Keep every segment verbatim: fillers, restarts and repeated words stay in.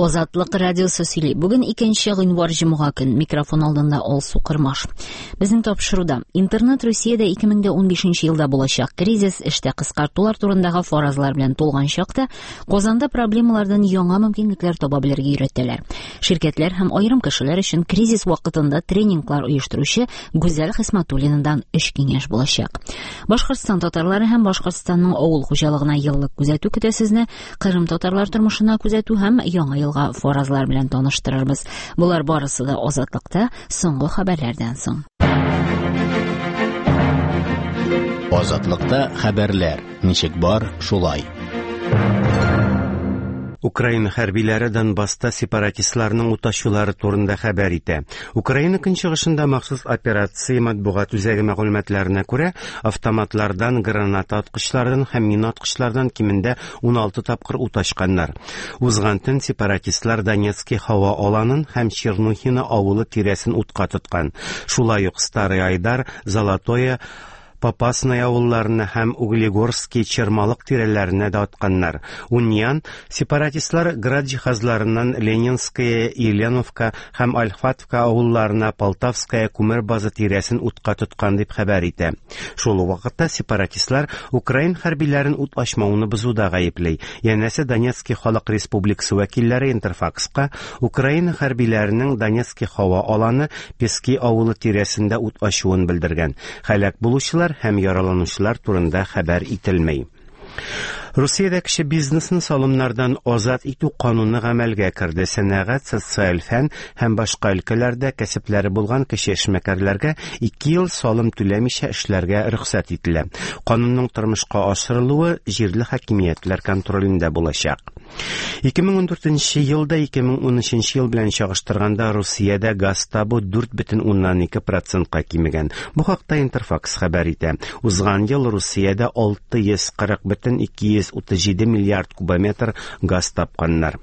Азатлык радиосы сөйли. Бүген икенче гыйнвар җомга көн. Микрофон алдында Алсу Кырмаш. Безнең тапшыруда интернет Русиядә ике мең дә унбишенче елда булачак кризис, эштә кыскартулар турындагы фаразлар белән тулган чакта Казанда проблемалардан яңа мөмкинлекләр таба белергә өйрәтәләр. Ширкәтләр һәм аерым кешеләр өчен кризис вакытында тренинглар оештыручы Гүзәл Хисматуллинадан өч киңәш булачак. Башкортстан татарлары һәм Башкортстанның авыл хуҗалыгына еллык күзәтү көтә сезне, Кырым татарлар тормышына күзәтү һәм яңа елга фаразлар белән таныштырырбыз. Булар барысы да Азатлыкта соңгы хәбәрләрдән соң. Азатлыкта хәбәрләр ничек бар, шулай. Украина хәрбиләре Донбасста сепаратистларның уташулары турында хәбәр итә. Украина көнчыгышында махсус операция матбугат үзәге мәгълүматларына күрә, автоматлардан, граната аткычлардан һәм мина аткычлардан кимендә ун алты тапкыр уташканнар. Узган төн сепаратистлар Донецкий һава аланын һәм Чернухино авылы тирәсен утка тоткан. Шулай ук Старый Айдар, Золотое, Попасная авылларына һәм Углегорский Чермалык тирәләренә дә атканнар. Униан сепаратистлар град җиһазларыннан Ленинская, Еленовка һәм Альфатовка авылларына Полтавская күмер базы тирәсен утка тоткан дип хәбәр итә. Шул ук вакытта сепаратистлар украин хәрбиләрен ут ачмауны бозуда гаепли. Янәсе Донецкий халык республикасы вәкилләре Интерфакска Украина хәрбиләренең Донецкий һава аланы Пески авылы тирәсендә ут ачуын белдергән. Һәлак булучылар һәм яраланучылар турында хәбәр ителмәй. Русиядә кеше бизнесын салымнардан азат итү кануны гамәлгә керде. Сәнәгать, социаль фән һәм башка өлкәләрдә кәсепләре булган кеше эшмәкәрләргә ике ел салым түләмичә эшләргә рөхсәт ителә. Канунның тормышка ашырылуы җирле хакимиятләр контролендә булачак. Ике мең ундүртенче елда ике мең унөченче ел белән чагыштырганда Русиядә газ табу дүрт бөтен уннан ике процентка кимегән. Бу хакта Интерфакс хәбәр итә. Узган ел Русиядә алты йөз кырык бөтен ике йөз утыз җиде миллиард кубометр газ тапканнар.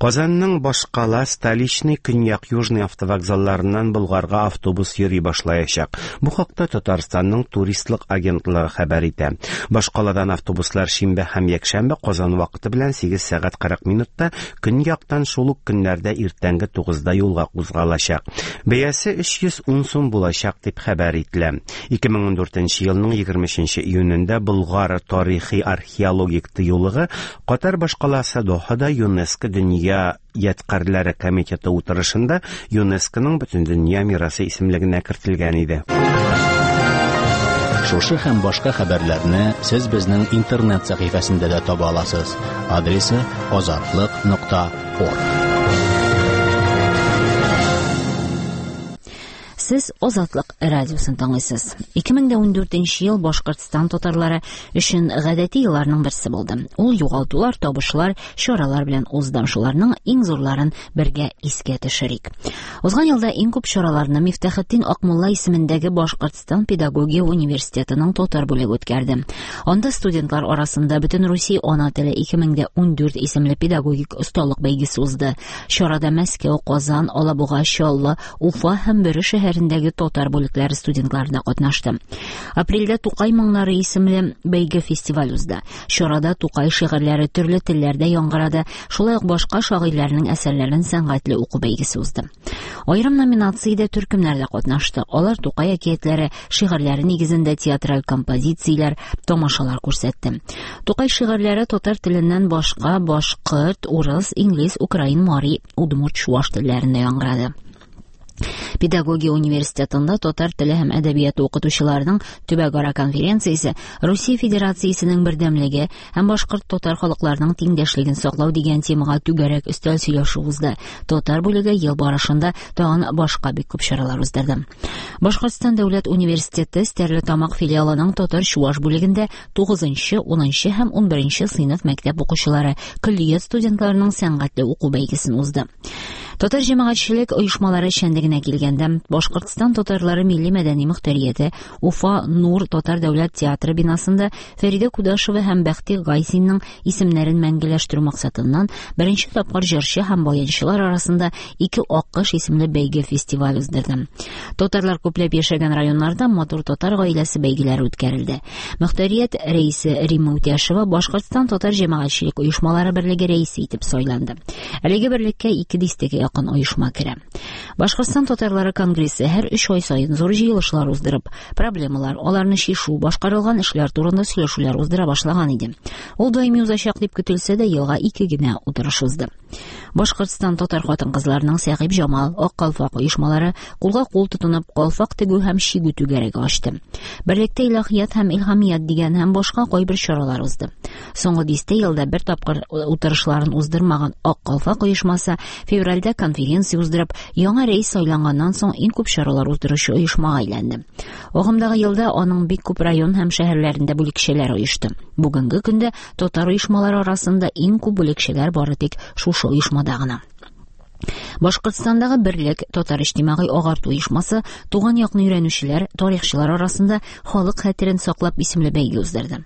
Казанның башкала Столичный, Көньяк Южный автовокзалларыннан Болгарга автобус йөри башлаячак. Бу хакта Татарстанның туристлык агентлыгы хәбәр итә. Башкаладан автобуслар шимбә һәм якшәмбе Казан вакыты белән сигез сәгать кырык минутта, көньяктан шул ук көннәрдә иртәнге тугызда юлга кузгалачак. Бәясе өч йөз ун сум булачак дип хәбәр ителә. Ике мең ундүртенче елның егерме өченче июнендә Болгар тарихи археологик тыюлыгы Катар башкаласы Дохада ЮНЕСКО Дөнья ядкарьләре комитеты утырышында ЮНЕСКОның Бөтендөнья мирасы исемлегенә кертелгән иде. Шушы һәм башка хәбәрләрне сез безнең интернет сәхифәсендә дә таба аласыз. Адресы азатлык нокта орг. Сез Азатлык радиосын тыңлыйсыз. Ике мең дә ундүртенче ел Башкортстан татарлары өчен гадәти елларның берсе булды. Ул югалтулар, табышлар, чаралар белән узды. Шуларның иң зурларын бергә искә төшерик. Узган елда иң күп чараларны Мифтахетдин Акмулла исемендәге Башкортстан педагогия университетының татар бүлеге үткәрде. Анда студентлар арасында Бөтен Русия ана теле ике мең дә ундүрт исемле педагогик осталык бәйгесе узды. Чарада Мәскәү, Казан, Алабуга, Чаллы, Уфа һәм Бөре шәһәрендәге татар бүлекләре студентлары да катнашты. Апрельдә Тукай моңнары исемле бәйге фестиваль узды. Чарада Тукай шигырьләре төрле телләрдә яңгырады, шулай ук башка шагыйрьләрнең әсәрләрен сәнгатьле уку бәйгесе узды. Аерым номинациядә төркемнәр дә катнашты. Алар Тукай әкиятләре, шигырьләре нигезендә театраль композицияләр, тамашалар күрсәтте. Тукай шигырьләре татар теленнән башка башкорт, урыс, инглиз, украин, мари, удмурт, чуаш телләрендә яңгырады. Педагогия университетында татар теле һәм әдәбияты укытучыларының төбәкара конференциясе Русия Федерациясенең бердәмлеге һәм башкорт татар халыкларының тиңдәшлеген саклау дигән темага түгәрәк өстәл сөйләшү узды. Татар бүлеге ел барышында тагын башка бик күп чаралар уздырды. Башкортстан дәүләт университеты Стәрлетамак филиалының татар чуаш бүлегендә тугызынчы, унынчы һәм унберенче сыйныф мәктәп укучылары, көллият студентларының сәнгатьле уку бәйгесен узды. Татар җәмәгатьчелек оешмалары эшчәнлегенә килгәндә, Башкортстан татарлары милли мәдәни мөхтәрияте Уфа Нур татар дәүләт театры бинасында Фәридә Кудашева һәм Бәхти Гайсинның исемнәрен мәңгеләштерү максатыннан беренче тапкыр җырчы һәм баянчылар арасында Ике аккош исемле бәйге фестиваль уздырды. Татарлар күпләп яшәгән районнарда матур татар гаиләсе бәйгеләре үткәрелде. Мөхтәрият рәисе Римма Үтәшева Башкортстан татар җәмәгатьчелек оешмалары берлеге рәисе итеп сайланды. Әлеге берлеккә ике дистәгә якын оешма керә. Башкортстан татарлары конгрессы һәр өч ай саен зур җыелышлар уздырып, проблемалар, аларны чишү, башкарылган эшләр турында сөйләшүләр уздыра башлаган иде. Ул даими узачак дип көтелсә дә, елга ике генә утырыш узды. Башкортстан татар хатын-кызларының Сәгыйб Җамал, Ак калфак оешмалары кулга кул тотынып калфак тегү һәм чигү түгәрәге ачты. Берлектә илаһият һәм илһамият дигән һәм башка кайбер чаралар узды. Соңгы дистә елда бер тапкыр утырышларын уздырмаган Ак калфак оешмасы февральдә конференция уздырып, яңа рәис сайланганнан соң иң күп чаралар уздыручы оешмага әйләнде. Агымдагы елда аның бик күп район һәм шәһәрләрендә бүлекчәләр оешты. Бүгенге көндә татар оешмалары арасында иң күп бүлекчәләр бары тик шушы оешмада гына. Башкортстандагы Берлек татар иҗтимагый агарту оешмасы туган якны өйрәнүчеләр, тарихчылар арасында халык хәтерен саклап исемле бәйге уздырды.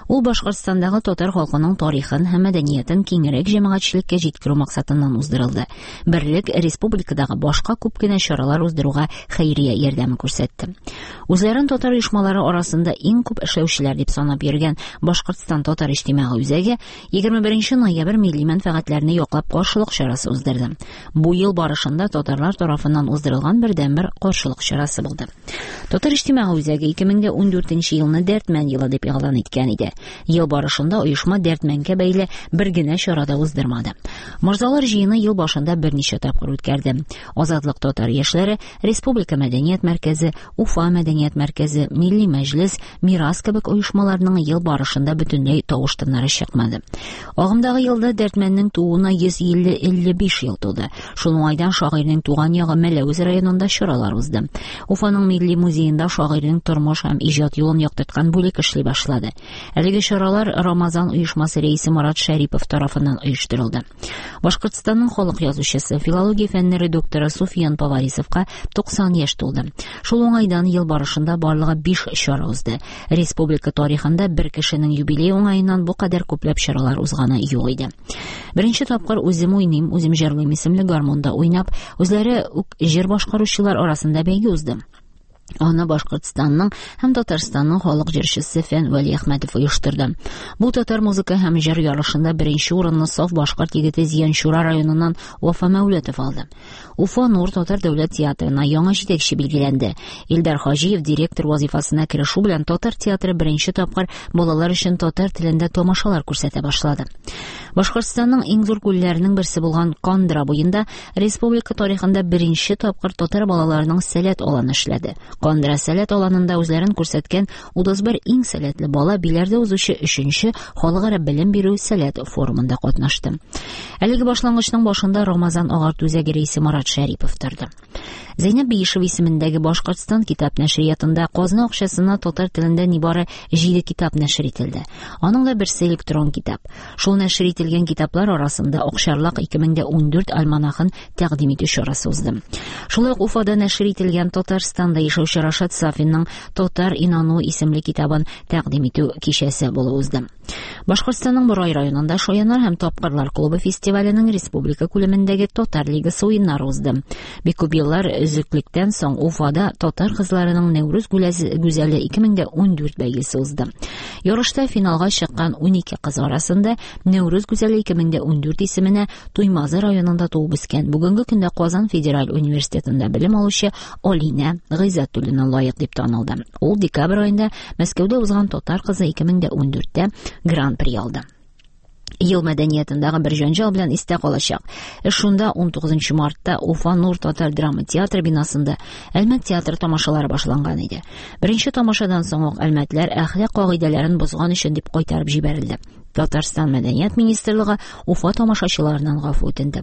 Ул Башкортстандагы татар халкының тарихын һәм мәдәниятен киңрәк җәмәгатьчелеккә җиткерү максатыннан уздырылды. Берлек республикадагы башка күп кенә чаралар уздыруга хәйрия ярдәме күрсәтте. Үзләрен татар оешмалары арасында иң күп эшләүчеләр дип санап йөргән Башкортстан татар иҗтимагый үзәге егерме беренче ноябрь милли мәнфәгатьләрне яклап каршылык чарасы уздырды. Бу ел барышында татарлар тарафыннан уздырылган бердәнбер каршылык чарасы булды. Татар иҗтимагый үзәге ике мең дә ундүртенче елны Дәртмән елы дип игълан иткән иде. Ел барышында оешма Дәртмәнгә бәйле бер генә чара да уздырмады. Морзалар җыены ел башында берничә тапкыр үткәрде. Азатлык татар яшьләре, Республика мәдәният мәркәзе, Уфа мәдәният мәркәзе, Милли мәҗлес, Мирас кебек оешмаларның ел барышында бөтенләй тавыш-тыннары чыкмады. Агымдагы елда Дәртмәннең тууына йөз илле биш ел тулды. Шул уңайдан шагыйрьнең туган ягы Мәләвез районында чаралар узды. Уфаның Милли музеенда шагыйрьнең тормыш һәм иҗат юлын яктырткан бүлек эшли башлады. Әлеге чаралар Рамазан оешмасы рәисе Марат Шәрипов тарафыннан оештырылды. Башкортстанның халык язучысы, филология фәннәре докторы Суфиян Поварисовка туксан яшь тулды. Шул уңайдан ел барышында барлыгы биш чара узды. Республика тарихында бер кешенең юбилей уңаеннан бу кадәр күпләп чаралар узганы юк иде. Беренче тапкыр Үзем уйныйм, үзем җырлыйм исемле гармунда уйнап, үзләре үк җыр башкаручылар арасында бәйге узды. Аны Башкортстанның һәм Татарстанның халык җырчысы Фән Вәлиәхмәтов оештырды. Бу татар музыка һәм җыр ярышында беренче урынны саф башкорт егете Зиянчура районыннан Вафа Мәүләтов алды. Уфа Нур татар дәүләт театрына яңа җитәкче билгеләнде. Илдар Хаҗиев директор вазифасына керешү белән татар театры беренче тапкыр балалар өчен татар телендә тамашалар күрсәтә башлады. Башкортстанның иң зур күлләренең берсе булган Кандра буенда республика тарихында беренче тапкыр татар балаларының сәләт аланы эшләде. Кандра сәләт аланында үзләрен күрсәткән утыз бер иң сәләтле бала Биләрдә узучы өченче халыкара белем бирү сәләт форумында катнашты. Әлеге башлангычның башында Рамазан агарту үзәге рәисе Марат Шәрипов торды. Зәйнәб Биишева исемендәге Башкортстан китап нәшриятында казна акчасына татар телендә нибары җиде китап нәшер ителде. Аның да берсе электрон китап. Шул нәшер ителгән китаплар арасында Акчарлак ике мең дә ундүрт альманахын тәкъдим итү чарасы узды. Шулай ук Уфада нәшер ителгән Татарстанда яшәүче Рашат Сафинның Татар инану исемле китабын тәкъдим итү кичәсе булып узды. Башкортстанның Борай районында Шаяннар һәм Тапкырлар клубы фестиваленең республика күләмендәге Татар лигасы уеннары узды. Бик күп еллар өзеклектән соң Уфада татар кызларының Нәүрүз гүзәле ике мең дә ундүрт бәйгесе узды. Ярышта финалга чыккан унике кыз арасында Нәүрүз гүзәле ике мең дә ундүрт исеменә Туймазы районында туып үскән, бүгенге көндә Казан федераль университетында белем алучы Алинә Гыйззәтуллина лаек дип танылды. Ул декабрь аенда Мәскәүдә узган Татар кызы ике мең дә ундүрттә гран-при алды. Ел мәдәниятындагы бер җанҗал белән истә калачак. Эш шунда ун тугызынчы мартта Уфа Нур татар драма театры бинасында Әлмәт театры тамашалары башланган иде. Беренче тамашадан соң ук әлмәтләр әхлак кагыйдәләрен бозган өчен дип кайтарып җибәрелде. Татарстан Мәдәният министрлыгы Уфа тамашачыларыннан гафу үтенде.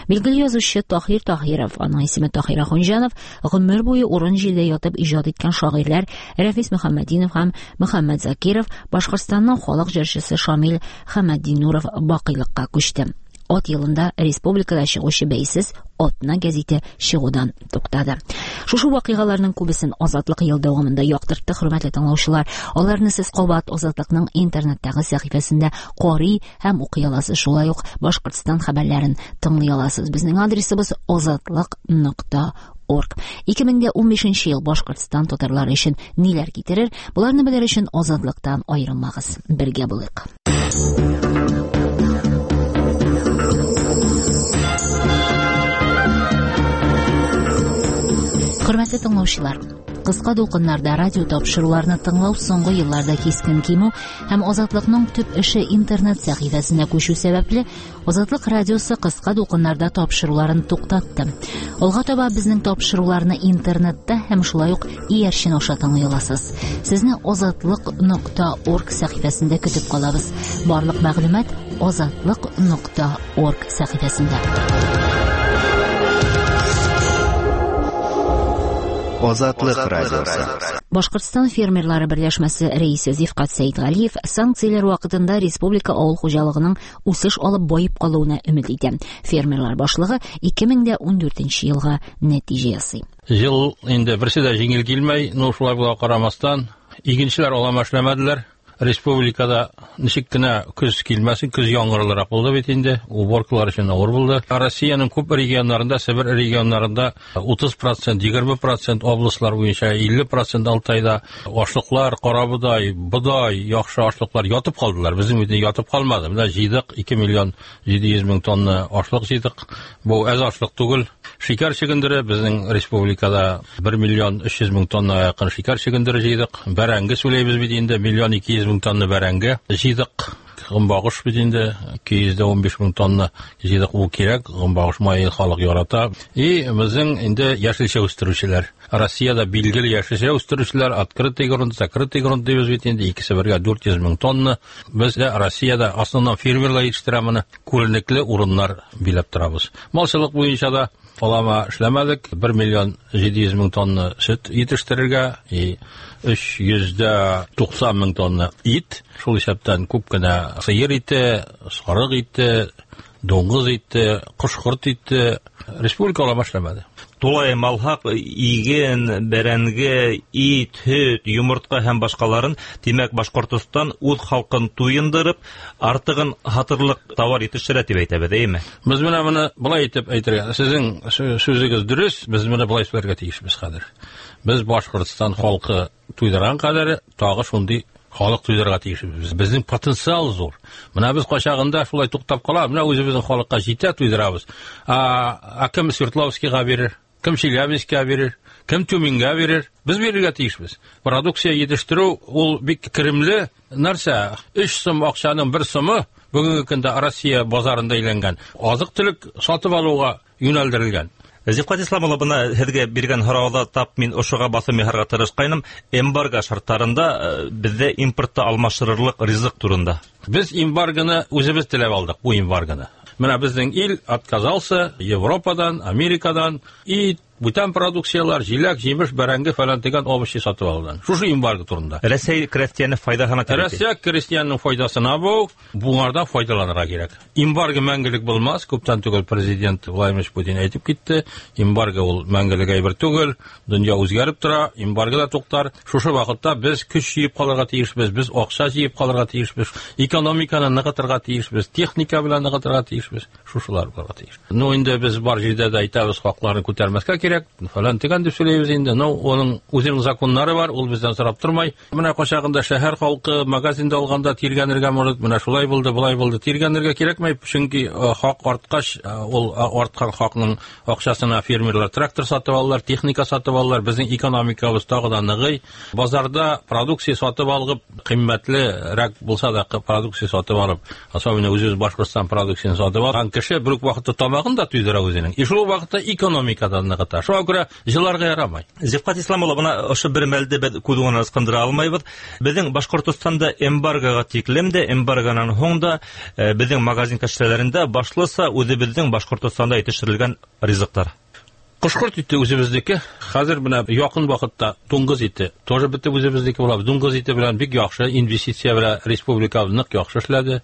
Билгеле язучы Таһир Таһиров, аның исеме Таһир Ахунҗанов, гомер буе урын җирдә ятып иҗат иткән шагыйрьләр Рәфис Мөхәммәдинов һәм Мөхәммәт Закиров, Башкортстанның халык җырчысы Шамил Хәмәтдинуров бакыйлыкка күчте. Ат елында республикада чыгучы бәйсез Атна гәзите чыгудан туктады. Шушы вакыйгаларның күбесен Азатлык ел дәвамында яктыртты, хөрмәтле тыңлаучылар. Аларны сез кабат Азатлыкның интернеттагы сәхифәсендә карый һәм укый аласыз. Шулай ук Башкортстан хәбәрләрен тыңлый аласыз. Безнең адресыбыз азатлык нокта орг. ике мең дә унбишенче ел Башкортстан татарлары өчен ниләр китерер? Буларны белер өчен Азатлыктан аерылмагыз. Бергә булыйк. Хөрмәтле тыңлаучылар, кыска дулкыннарда радио тапшыруларны тыңлау соңгы елларда кискен кимү һәм Азатлыкның төп эше интернет сәхифәсенә күчү сәбәпле, Азатлык радиосы кыска дулкыннарда тапшыруларын туктатты. Алга таба безнең тапшыруларны интернетта һәм шулай ук иярчен аша тыңлый аласыз. Сезне азатлык нокта орг сәхифәсендә көтеп калабыз. Барлык мәгълүмат азатлык нокта орг сәхифәсендә. Азатлык радиосы. Башкортстан фермерлары берләшмәсе рәисе Зифкат Сәйдгалиев санкцияләр вакытында республика авыл хуҗалыгының үсеш алып баеп калуына өмет итә. Фермерлар башлыгы ике мең дә ундүртенче елга нәтиҗә ясый. Ел инде берсе дә җиңел килмәй, но шулай була карамастан, игенчеләр алама эшләмәделәр. Республикада ничек кенә көз килмәсен, көз яңгырлырак булды бит инде, уборкалар өчен авыр булды. Россиянең күп регионнарында, Себер регионнарында утыз процент, егерме процент областлар буенча илле процент Алтайда ашлыклар, карабодай, бодай, яхшы ашлыклар ятып калдылар. Безнең бит ятып калмады. Менә җыйдык ике миллион җиде йөз мең тонна ашлык җыйдык. Бу әз ашлык түгел. Шикәр чөгендере безнең республикада бер миллион өч йөз мең тонна якын шикәр чөгендере җыйдык. Бәрәңге сөйләйбез бит инде, миллион ике йөз мең тонна бәрәңге җыйдык. Гомбагыш бит инде ике йөз дә унбиш мең тонна җыйдык, ул кирәк, гомбагыш мае халык ярата. И безнең инде яшелчә үстерүчеләр. Россиядә билгеле яшелчә үстерүчеләр, открытый грунт, закрытый грунт дибез бит инде, икесе бергә дүрт йөз мең тонна. Без дә Россиядә основном фермерлар җитештерә моны, күренекле урыннар биләп торабыз. Малчылык буенча да алама эшләмәдек, бер миллион җиде йөз мең тонна сөт җитештерергә, и өч йөз дә туксан мең тонна ит, шул исәптән күп кенә сыер ите, сарык ите, дуңгыз ите, кош-корт ите республика алама эшләмәде. Тулаем алһаҡ иген, бәрәңге, ит, һөт, йомортҡа һәм башҡаларын, тимәк, Башҡортостан үҙ халҡын туйындырып, артығын һатырлыҡ тауар етештерә тип әйтәбеҙ, эйме? Беҙ менә быны былай итеп әйтергә, һеҙҙең сүҙегеҙ дөрөҫ, беҙ менә былай һөйләргә тейешбеҙ хәҙер. Беҙ Башҡортостан халҡы туйҙырған ҡәҙәре тағы шундай халыҡ туйҙырырға тейешбеҙ. Беҙҙең потенциал ҙур. Бына беҙ ҡайсағында шулай туҡтап ҡала, бына үҙебеҙҙең халыҡҡа етә туйҙырабыҙ. А кем Свердловскийға бирер, кем Челябинскка бирер, кем Тюменгә бирер, беҙ бирергә тейешбеҙ. Продукция етештереү ул бик керемле нәрсә. Өс сум аҡсаның бер сумы бөгөнгө көндә Россия базарында әйләнгән. Аҙыҡ-түлек сатып алыуға йүнәлдерелгән. Зифҡат Ислам улы, бына һеҙгә биргән һорауҙа тап мин ошоға баҫым яһарға тырышҡайным. Эмбарго шарттарында беҙҙә импортты алмаштырырлыҡ ризыҡ турында. Беҙ эмбаргоны үҙебеҙ теләп алдыҡ, бу эмбаргоны. Менә беҙҙең ил отказался Европадан, Америкадан и бүтән продукциялар, җиләк, җимеш, бәрәңге фәлән дигән овощи сатып алудан. Шушы эмбарго турында. Рәсәй крестьяны файдаһына тип. Рәсәй крестьянының файдасына бу, буңардан файдаланырга кирәк. Эмбарго мәңгелек булмас, күптән түгел президент Владимир Путин әйтеп китте. Эмбарго ул мәңгелек әйбер түгел, дөнья үзгәреп тора, эмбарго да туктар. Шушы вакытта без көч җыеп калырга тиешбез, без акча җыеп калырга тиешбез, экономиканы ныгытырга тиешбез, техника белән ныгытырга тиешбез, шушылар булырга тиеш. Ну инде без бар җирдә дә әйтәбез, хакларны күтәрмәскә кирәк, фәлән дигән дип сөйләйбез инде. Но оның үзенең законнары бар, ул бездән сорап тормай. Менә кайчагында шәһәр халкы магазинда алганда тиргәнергә может, менә шулай булды, болай булды, тиргәнергә кирәкмәй, чөнки хак арткач, ул арткан хакның акчасына фермерлар трактор сатып алалар, техника сатып алалар, безнең экономикабыз тагы да ныгый. Базарда продукция сатып алып, кыйммәтлерәк булса да продукция сатып алып, особенно үзебез Башкортстан продукциясын сатып алган кеше бер үк вакытта тамагын да туйдыра үзенең. И шул вакытта экономикада ныгыта. Шуңа күрә җыларга ярамай. Зифҡат Ислам улы, бына ошо бер мәлде беҙ күҙ уңынан ысҡындыра алмайбыҙ. Беҙҙең Башҡортостанда эмбаргоға тиклем дә, эмбаргонан һуң да беҙҙең магазин кәштәләрендә башлыса үҙебеҙҙең Башҡортостанда етештерелгән ризыҡтар. Кошкорт ите үзебезнеке. Хәзер менә якын вакытта дуңгыз ите тоже бетеп үзебезнеке була. Дуңгыз ите белән бик яхшы инвестиция белән республика нык яхшы эшләде.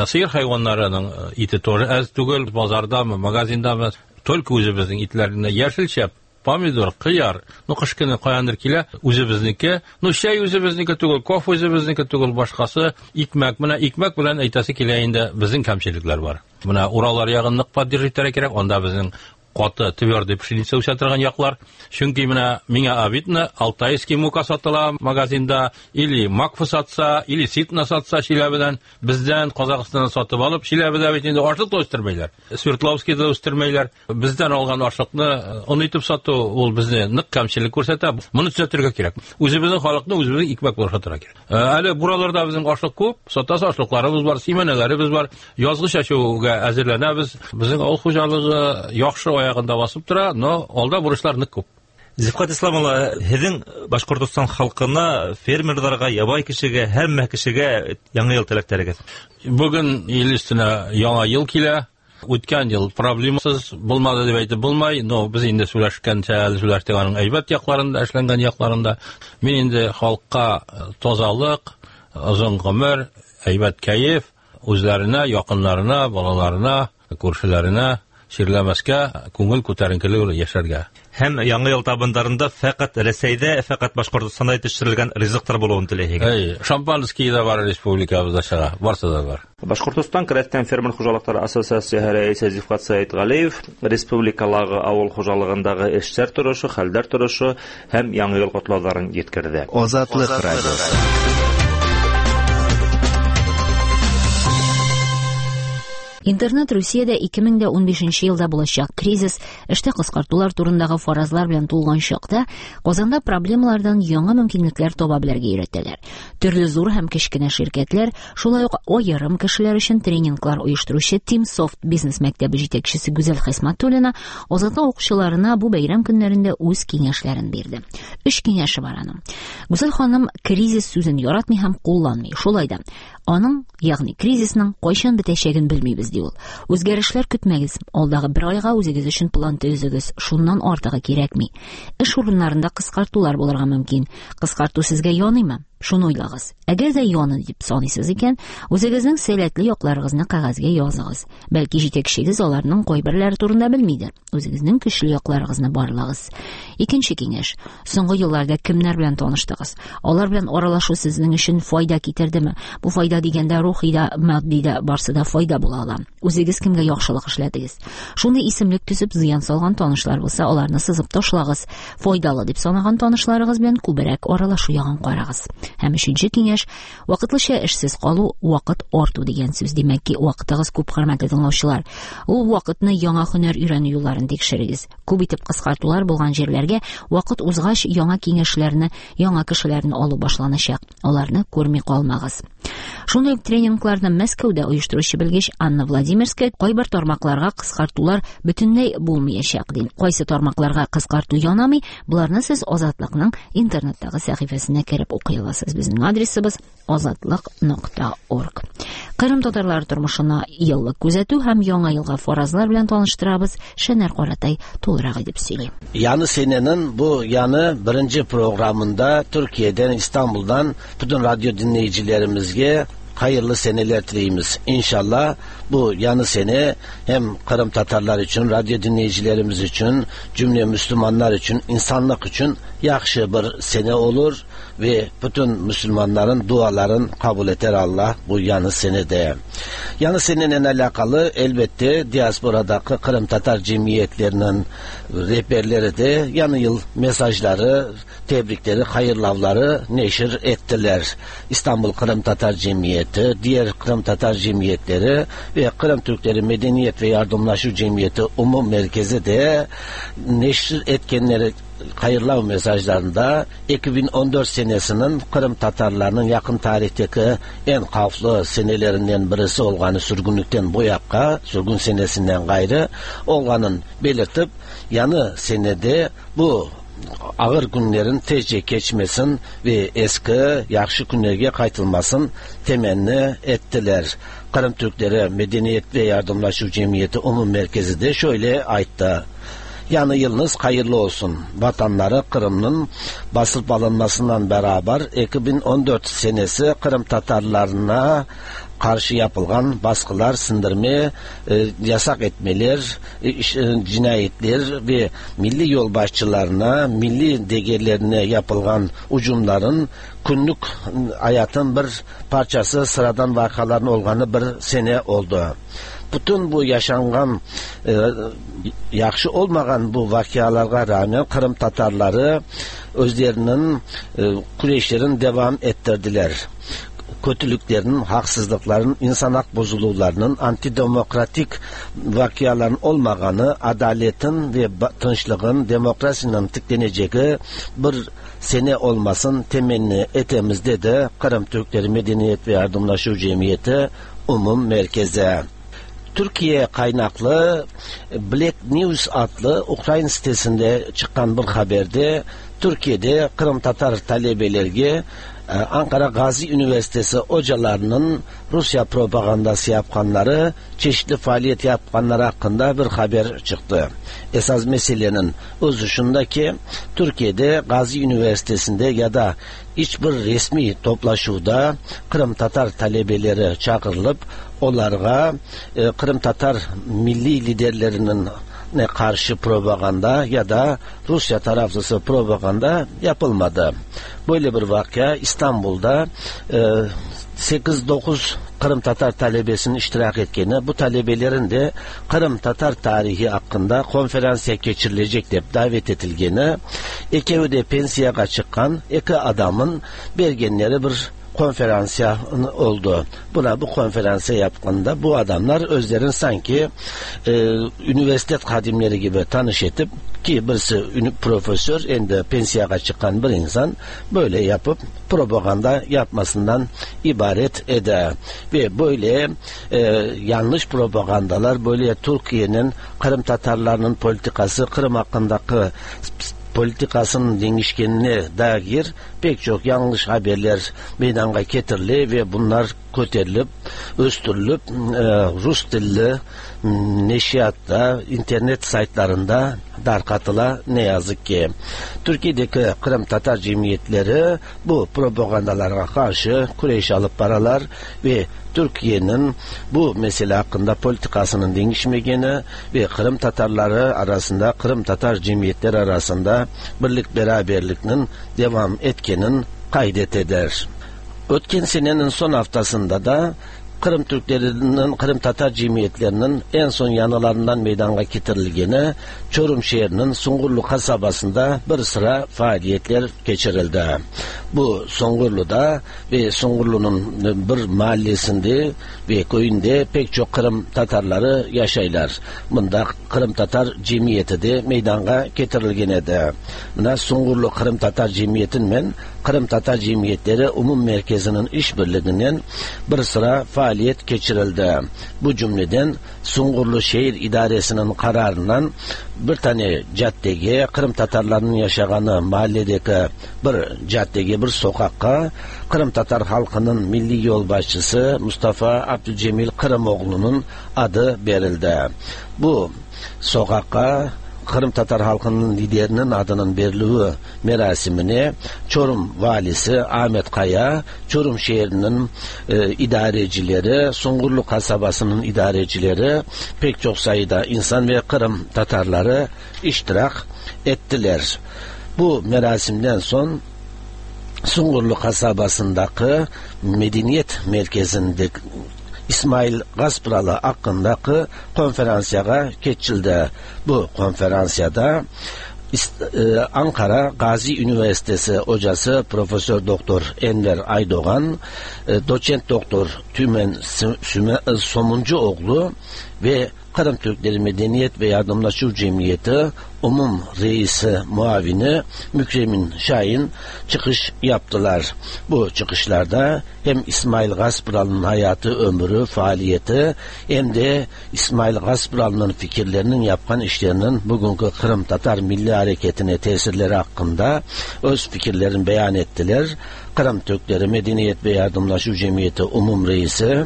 Сыер хайваннарының ите тоже әз түгел, базардамы, магазиндамы, только үзебезнең итләренә яшелчә, помидор, кыяр, ну кыш көне каяндыр килә, үзебезнеке. Ну чәй үзебезнеке түгел, кофе үзебезнеке түгел, башкасы икмәк. Менә икмәк белән әйтәсе килә инде, безнең кәмчелекләр бар. Менә Ураллар ягын нык поддерживать итәргә кирәк, анда безнең каты твердый пшеница үсә торган яклар. Чөнки менә миңа обидно, алтайский мука сатыла магазинда, или макфа сатса, или ситна сатса Чиләбедән, бездән Казахстаннан сатып алып, Чиләбедә бит инде ашлык та үстермәйләр. Свердловскийда үстермәйләр. Бездән алган ашлыкны он итеп сату, ул безне нык кәмчелек күрсәтә. Моны төзәтергә кирәк. Үзебезнең халыкны үзебезнең икмәк белән сатырга кирәк. Әле бураларда безнең ашлык күп, сатасы ашлыкларыбыз бар, симәнәләребез бар. Язгы чәчүгә әзерләнәбез. Безнең авыл хуҗалыгы яхшы аягында басып тора, но алда бурычлар нык күп. Зифкат Ислам улы, һеҙҙең Башҡортостан халҡына, фермерҙарға, ябай кешегә, һәммә кешегә яңы йыл теләктәрегеҙ? Бөгөн ил өҫтөнә яңа йыл килә. Үткән йыл проблемасыз булмады дип әйтеп булмай, но без инде сөйләшкәнчә әле сөйләштек аның әйбәт яҡларында, эшләнгән яҡларында. Мин инде халҡҡа тазалыҡ, озон ғүмер, әйбәт кәйеф, үзләренә, яҡындарына, балаларына, күршеләренә ширләмәскә, күңел күтәренкелеге белән йәшәргә. Һәм яңы йыл табындарында фәҡәт Рәсәйҙә, фәҡәт Башҡортостанда етештерелгән ризыҡтар булыуын теләйһегеҙ. Эй, шампанский ҙа бар республикабыҙҙа сыға, барсы да бар. Башҡортостан Крәҫтиән фермер хужалыҡтары ассоциацияһы рәйесе Зифҡат Сәйетғәлиев республикалағы ауыл хужалығындағы эштәр торошо, хәлдәр торошо һәм яңы йыл ҡотлауҙарын еткерҙе. Азатлыҡ радиосы. Интернет Русиядә ике мең дә унбишенче елда булачак кризис, эштә кыскартулар турындагы фаразлар белән тулган чакта Казанда проблемалардан яңа мөмкинлекләр таба белергә өйрәтәләр. Төрле зур һәм кечкенә ширкәтләр, шулай ук аерым кешеләр өчен тренинглар оештыручы Teamsoft бизнес мәктәбе җитәкчесе Гүзәл Хисматуллина Азатлык укучыларына бу бәйрәм көннәрендә үз киңәшләрен бирде. Өч киңәше бар аның. Гүзәл ханым кризис сүзен яратмый һәм кулланмый. Шулай да аның, ягъни кризисның кайчан бетәчәген белмибез, ди ул. Үзгәрешләр көтмәгез. Алдагы бер айга үзегез өчен план төзегез. Шуннан артыгы кирәкми. Эш урыннарында кыскартулар булырга мөмкин. Кыскарту сезгә яныймы? Шуны уйлагыз. Әгәр дә яны дип саныйсыз икән, үзегезнең сәләтле якларыгызны кәгазьгә языгыз. Бәлки җитәкчегез аларның кайберләре турында белмидер. Үзегезнең көчле якларыгызны барлагыз. Икенче киңәш. Соңгы елларда кемнәр белән таныштыгыз? Алар белән аралашу сезнең өчен файда китердеме? Бу файда дигәндә рухи да, матди да, барсы да файда була ала. Үзегез кемгә яхшылык эшләдегез? Шундый исемлек төзеп зыян салган танышлар булса, аларны сызып ташлагыз. Файдалы дип санаган танышларыгыз белән күбрәк аралашу ягын карагыз. Һәм өченче киңәш, вакытлыча эшсез калу вакыт арту дигән сүз. Димәк ки, вакытыгыз күп, хөрмәтле тыңлаучылар. Ул вакытны яңа һөнәр өйрәнү юлларын тикшерегез. Күп итеп кыскартулар булган җирләргә вакыт узгач яңа киңәшләрне, яңа кешеләрне алу башланачак. Аларны күрми калмагыз. Шундый ук тренингларны Мәскәүдә оештыручы белгеч Анна Владимирская кайбер тармакларга кыскартулар бөтенләй булмаячак ди. Кайсы тармакларга кыскарту янамый, буларны сез Азатлыкның интернеттагы сәхифәсенә кереп укый аласыз. Безнең адресыбыз азатлык нокта орг. Кырым татарлары тормышына еллык күзәтү һәм яңа елга фаразлар белән таныштырабыз. Шәнәр Каратай тулырак итеп сөйли. Яны senenin bu yanı birinci programında Türkiye'den, İstanbul'dan bütün radyo dinleyicilerimizge hayırlı seneler dileyimiz. İnşallah bu yanı sene hem Kırım Tatarlar için, radyo dinleyicilerimiz için, cümle Müslümanlar için, insanlık için yaxşı bir sene olur ve bütün Müslümanların duaların kabul eder Allah bu yanı senede. Yanı seneyle alakalı elbette diasporadaki Kırım Tatar cemiyetlerinin rehberleri de yanı yıl mesajları, tebrikleri, hayırlavları neşir ettiler. İstanbul Kırım Tatar Cemiyeti, diğer Kırım Tatar cemiyetleri ve Kırım Türkleri Medeniyet ve Yardımlaşma Cemiyeti Umum Merkezi de neşir etkenleri hayırlav mesajlarında iki bin on dört senesinin Kırım Tatarlarının yakın tarihteki en kaflı senelerinden birisi olganı sürgünlükten bu yakka, sürgün senesinden gayrı olganın belirtip yanı senede bu ağır günlerin tezce geçmesin ve eski yaxşı günlerge qaytılmasın temenni ettiler. Kırım Türkleri Medeniyet ve Yardımlaşma Cemiyeti Umum Merkezi de şöyle aytты. Yani yılınız hayırlı olsun. Vatanları Kırım'ın basılıp alınmasından beraber iki bin on dört senesi Kırım Tatarlarına karşı yapılan baskılar, sindirme, e, yasak etmeler, e, e, cinayetler ve milli yolbaşçılarına, milli değerlerine yapılan hücumların günlük hayatın bir parçası, sıradan vakaların olganı bir sene oldu. Bütün bu yaşangan, e, yaxşı olmagan bu vakalarga rağmen Kırım Tatarları özlerinin e, küreşlerini devam ettirdiler. Kötülüklerinin, haksızlıkların, insan hak bozuluvlarının, antidemokratik vakaların olmağanı, adaletin ve tınçlığın, demokrasinin tıklaneceği bir sene olmasın temenni etemiz dedi Kırım Türkleri Medeniyet ve Yardımlaşma Cemiyeti Umum Merkezi. Türkiye kaynaklı Black News adlı Ukrayna sitesinde çıkan bir haberde Türkiye'de Kırım Tatar talebelerge Ankara Gazi Üniversitesi hocalarının Rusya propagandası yapkanları, çeşitli faaliyet yapkanları hakkında bir haber çıktı. Esas meselenin özü şundaki, Türkiye'de Gazi Üniversitesi'nde ya da hiçbir resmi toplaşuvda Kırım Tatar talebeleri çağrılıp onlara Kırım Tatar milli liderlerinin ne karşı propaganda ya da Rusya taraflısı propaganda yapılmadı. Böyle bir vaka İstanbul'da e, sekiz dokuz Kırım Tatar talebesinin iştirak etkeni, bu talebelerin de Kırım Tatar tarihi hakkında konferansiya geçirilecek diye davet edilgeni, iki pensiyaga çıkan iki adamın bergenleri bir konferansiya oldu. Buna bu konferansiya yaptığında bu adamlar özlerin sanki e, üniversite hadimleri gibi tanış etip ki birisi profesör endi pensiyaga çıkan bir insan böyle yapıp propaganda yapmasından ibaret eder. Ve böyle e, yanlış propagandalar, böyle Türkiye'nin Kırım Tatarlarının politikası, Kırım hakkındaki politikasının değişkenine dair pek çok yanlış haberler meydana getirildi ve bunlar köterilip, östürülüp e, Rus dilli neşriyatta, internet saytlarında darkatıla ne yazık ki. Türkiye'deki Kırım Tatar cemiyetleri bu propagandalara karşı kureş alıp paralar ve Türkiye'nin bu mesele hakkında politikasının değişmegeni ve Kırım Tatarları arasında, Kırım Tatar cemiyetleri arasında birlik beraberlikinin devam etkenin kaydet eder. Ötken senenin son haftasında da Kırım Türklerinin, Kırım Tatar cemiyetlerinin en son yanılarından meydana getirilgeni Çorum şehrinin Sungurlu kasabasında bir sıra faaliyetler geçirildi. Bu Sungurlu'da ve Sungurlu'nun bir mahallesinde ve köyünde pek çok Kırım Tatarları yaşaylar. Bunda Kırım Tatar cemiyeti de meydana getirilgenedi. Buna Sungurlu Kırım Tatar Cemiyeti'nin Kırım Tatar Cemiyetleri Umum Merkezi'nin işbirliğinden bir sıra faaliyet geçirildi. Bu cümleden Sungurlu Şehir İdaresi'nin kararından bir tane caddege, Kırım Tatarlarının yaşağını mahalledeki bir caddege, bir sokakka Kırım Tatar halkının milli yolbaşçısı Mustafa Abdülcemil Kırımoğlu'nun adı verildi. Bu sokakka Kırım Tatar halkının liderinin adının verilüğü merasimine Çorum valisi Ahmet Kaya, Çorum şehrinin e, idarecileri, Sungurlu kasabasının idarecileri, pek çok sayıda insan ve Kırım Tatarları iştirak ettiler. Bu merasimden son Sungurlu kasabasındaki medeniyet merkezinde İsmail Gaspıralı hakkındaki konferansiyaga geçildi. Bu konferansiyada Ankara Gazi Üniversitesi hocası Profesör Doktor Enver Aydoğan, Doçent Doktor Tümen Somuncuoğlu ve Kırım Türkleri Medeniyet ve Yardımlaşma Cemiyeti Umum Reisi Muavini Mükremin Şahin çıkış yaptılar. Bu çıkışlarda hem İsmail Gaspıralı'nın hayatı, ömrü, faaliyeti hem de İsmail Gaspıralı'nın fikirlerinin, yapan işlerinin bugünkü Kırım Tatar Milli Hareketi'ne tesirleri hakkında öz fikirlerini beyan ettiler. Kırım Türkleri Medeniyet ve Yardımlaşma Cemiyeti Umum Reisi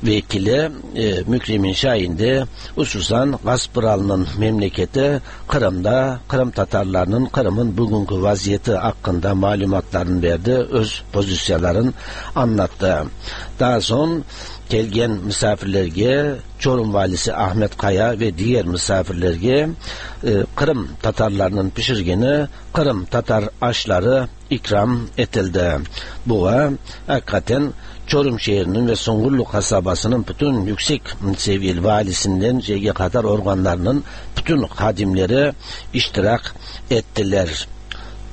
Vekili e, Mükremin Şahin de hususan Gaspıralı'nın memleketi Kırım'da Kırım Tatarlarının Kırım'ın bugünkü vaziyeti hakkında malumatlarını verdi, öz pozisyonlarını anlattı. Daha sonra kelgen misafirlerge Çorum Valisi Ahmet Kaya ve diğer misafirlerge e, Kırım Tatarlarının pişirgeni Kırım Tatar aşları ikram etildi. Buğa hakikaten Çorum şehrinin ve Sungurlu kasabasının bütün yüksek seviyeli valisinden şeye kadar organlarının bütün hadimleri iştirak ettiler.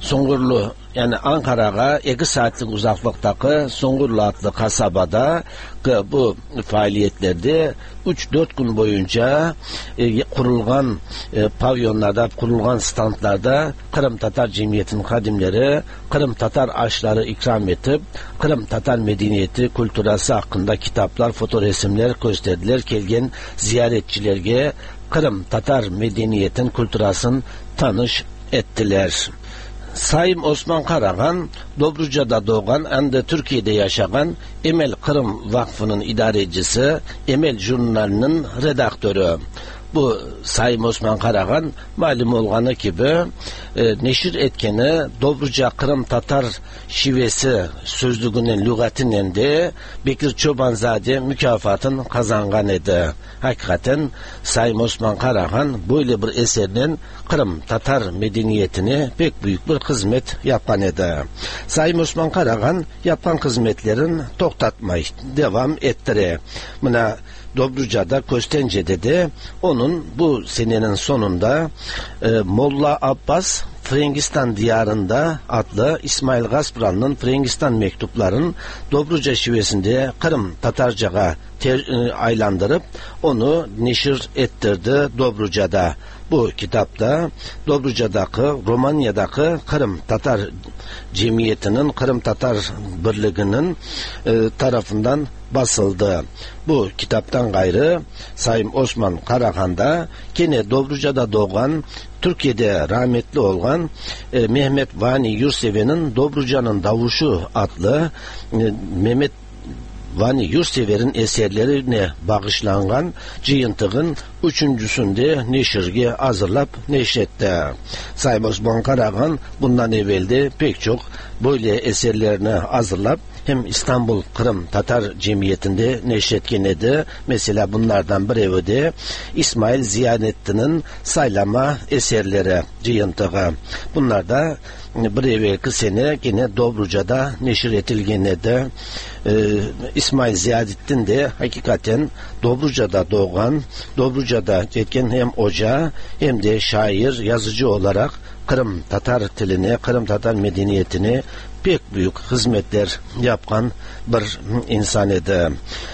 Sungurlu yani Ankara'ya iki saatlik uzaklıktaki Sungurlu adlı kasabada bu faaliyetlerde üç dört gün boyunca e, kurulgan e, pavyonlarda, kurulgan standlarda Kırım Tatar Cemiyeti'nin hadimleri Kırım Tatar aşları ikram etip Kırım Tatar medeniyeti, kültürası hakkında kitaplar, fotoresimler gösterdiler. Kelgen ziyaretçilerge Kırım Tatar medeniyetin, kültürasını tanış ettiler. Sayın Osman Karahan, Dobruca'da doğan, hem de Türkiye'de yaşayan Emel Kırım Vakfı'nın idarecisi, Emel Jurnali'nin redaktörü. Bu Sayın Osman Karahan, malum olganı gibi e, neşir etkeni Dobruca Kırım Tatar şivesi sözlüğünün lügatinin de Bekir Çobanzade mükafatını kazangan idi. Hakikaten Sayın Osman Karahan böyle bir eserinin Kırım Tatar medeniyetine pek büyük bir hizmet yapan idi. Sayın Osman Karahan yapan hizmetlerin toxtatmay devam ettire. Buna Dobruca'da, Köstence'de de onun bu senenin sonunda e, Molla Abbas Frengistan Diyarında adlı İsmail Gaspıralı'nın Frengistan mektuplarının Dobruca şivesinde Kırım Tatarca'a ter, e, aylandırıp onu neşir ettirdi Dobruca'da. Bu kitapta Dobruca'daki, Romanya'daki Kırım Tatar Cemiyeti'nin, Kırım Tatar Birliği'nin e, tarafından basıldı. Bu kitaptan gayrı Sayın Osman Karahan'da gene Dobruca'da doğan, Türkiye'de rahmetli olan e, Mehmet Vani Yurtsever'in Dobruca'nın Davuşu adlı e, Mehmet Vani Yurtsever'in eserlerine bağışlangan cıyıntığın üçüncüsünde neşirge hazırlap neşretti. Sayın Osman Karahan bundan evvelde pek çok böyle eserlerini hazırlap hem İstanbul Kırım Tatar Cemiyeti'nde neşretken idi. Mesela bunlardan biri de İsmail Ziyanettin'in saylama eserleri cıyıntığı. Bunlar da bir evvelki sene yine Dobruca'da neşir etilgen idi. Ee, İsmail Ziyadettin de hakikaten Dobruca'da doğan, Dobruca'da etken hem hoca hem de şair, yazıcı olarak Kırım Tatar diline, Kırım Tatar medeniyetine pek büyük hizmetler yapan bir insan idi.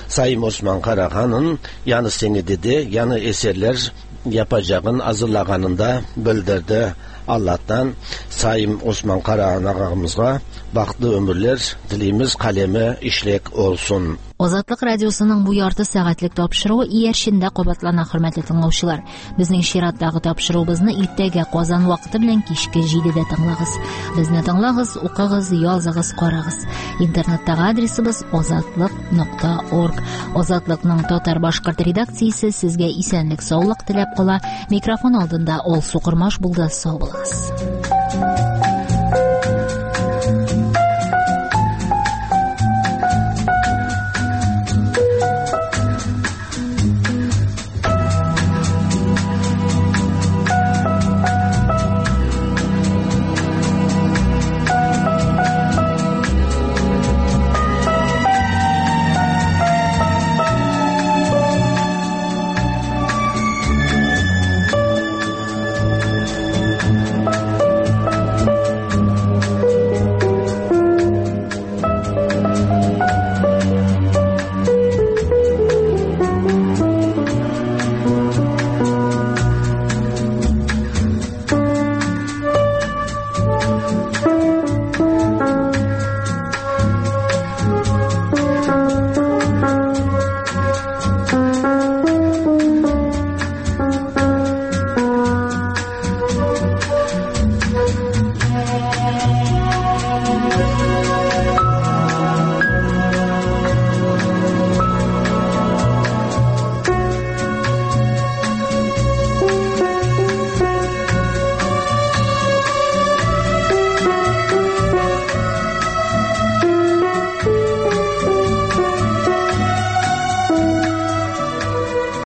Sayın Osman Karahan'ın yanı senedi de yanı eserler yapacağın hazırlaganını da bildirdi. Allah'tan Sayın Osman Karahan ağamızga bahtlı ömürler dileyimiz, kalemi işlek olsun. Азатлык радиосының бу ярты сәгатьлек тапшыруы иярчендә кабатлана, хөрмәтле тыңлаучылар. Безнең чираттагы тапшыруыбызны иртәгә Казан вакыты белән кичке җидедә тыңлагыз. Безне тыңлагыз, укыгыз, языгыз, карагыз. Интернеттагы адресыбыз азатлык нокта орг. Азатлыкның татар башкорт редакциясе сезгә исәнлек, саулык теләп кала. Микрофон алдында Алсу Кормаш булды. Сау булыгыз.